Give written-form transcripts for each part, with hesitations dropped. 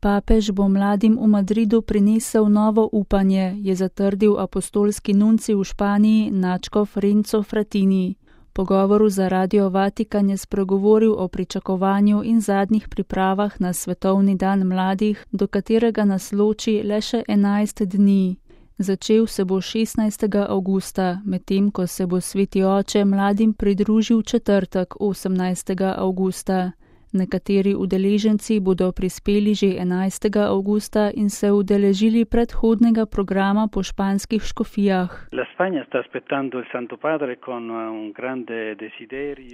Papež bo mladim v Madridu prinesel novo upanje, je zatrdil apostolski nuncij v Španiji nadškof Renzo Frattini. V pogovoru za Radio Vatikan je spregovoril o pričakovanju in zadnjih pripravah na Svetovni dan mladih, do katerega nas loči le še 11 dni. Začel se bo 16. avgusta, medtem ko se bo Sveti oče mladim pridružil četrtek 18. avgusta. Nekateri udeleženci bodo prispeli že 11. avgusta in se udeležili predhodnega programa po španskih škofijah.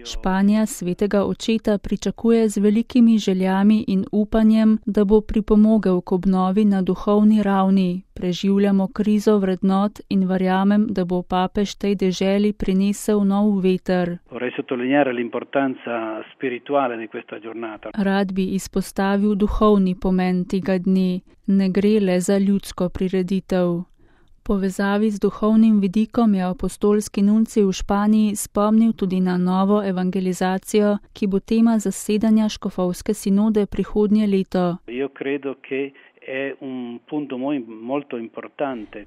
Španija svetega očeta pričakuje z velikimi željami in upanjem, da bo pripomogel k obnovi na duhovni ravni. Preživljamo krizo vrednot in verjamem, da bo papež tej deželi prinesel nov veter. Rad bi izpostavil duhovni pomen tega dne. Ne gre le za ljudsko prireditev. V povezavi z duhovnim vidikom je apostolski nuncij v Španiji spomnil tudi na novo evangelizacijo, ki bo tema zasedanja škofovske sinode prihodnje leto.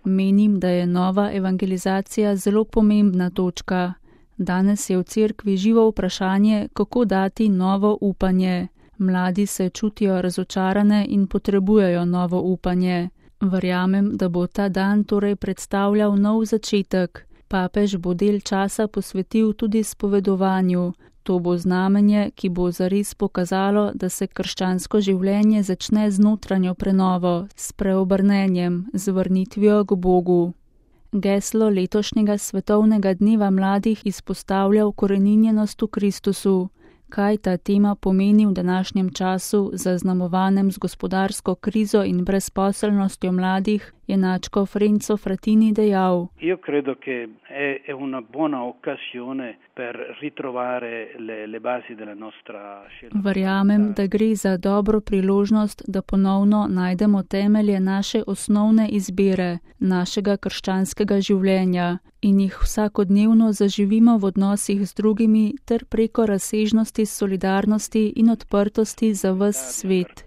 Menim, da je nova evangelizacija zelo pomembna točka. Danes je v cerkvi živo vprašanje, kako dati novo upanje. Mladi se čutijo razočarane in potrebujejo novo upanje. Verjamem, da bo ta dan torej predstavljal nov začetek. Papež bo del časa posvetil tudi spovedovanju. To bo znamenje, ki bo zares pokazalo, da se krščansko življenje začne z notranjo prenovo, s preobrnenjem, z vrnitvijo k Bogu. Geslo letošnjega svetovnega dneva mladih izpostavlja ukoreninjenost v Kristusu. Kaj ta tema pomeni v današnjem času, zaznamovanem z gospodarsko krizo in brezposelnostjo mladih, je nadškof Renzo Frattini dejal. Verjamem, da gre za dobro priložnost, da ponovno najdemo temelje naše osnovne izbire, našega krščanskega življenja in jih vsakodnevno zaživimo v odnosih z drugimi ter preko razsežnosti solidarnosti in odprtosti za ves svet.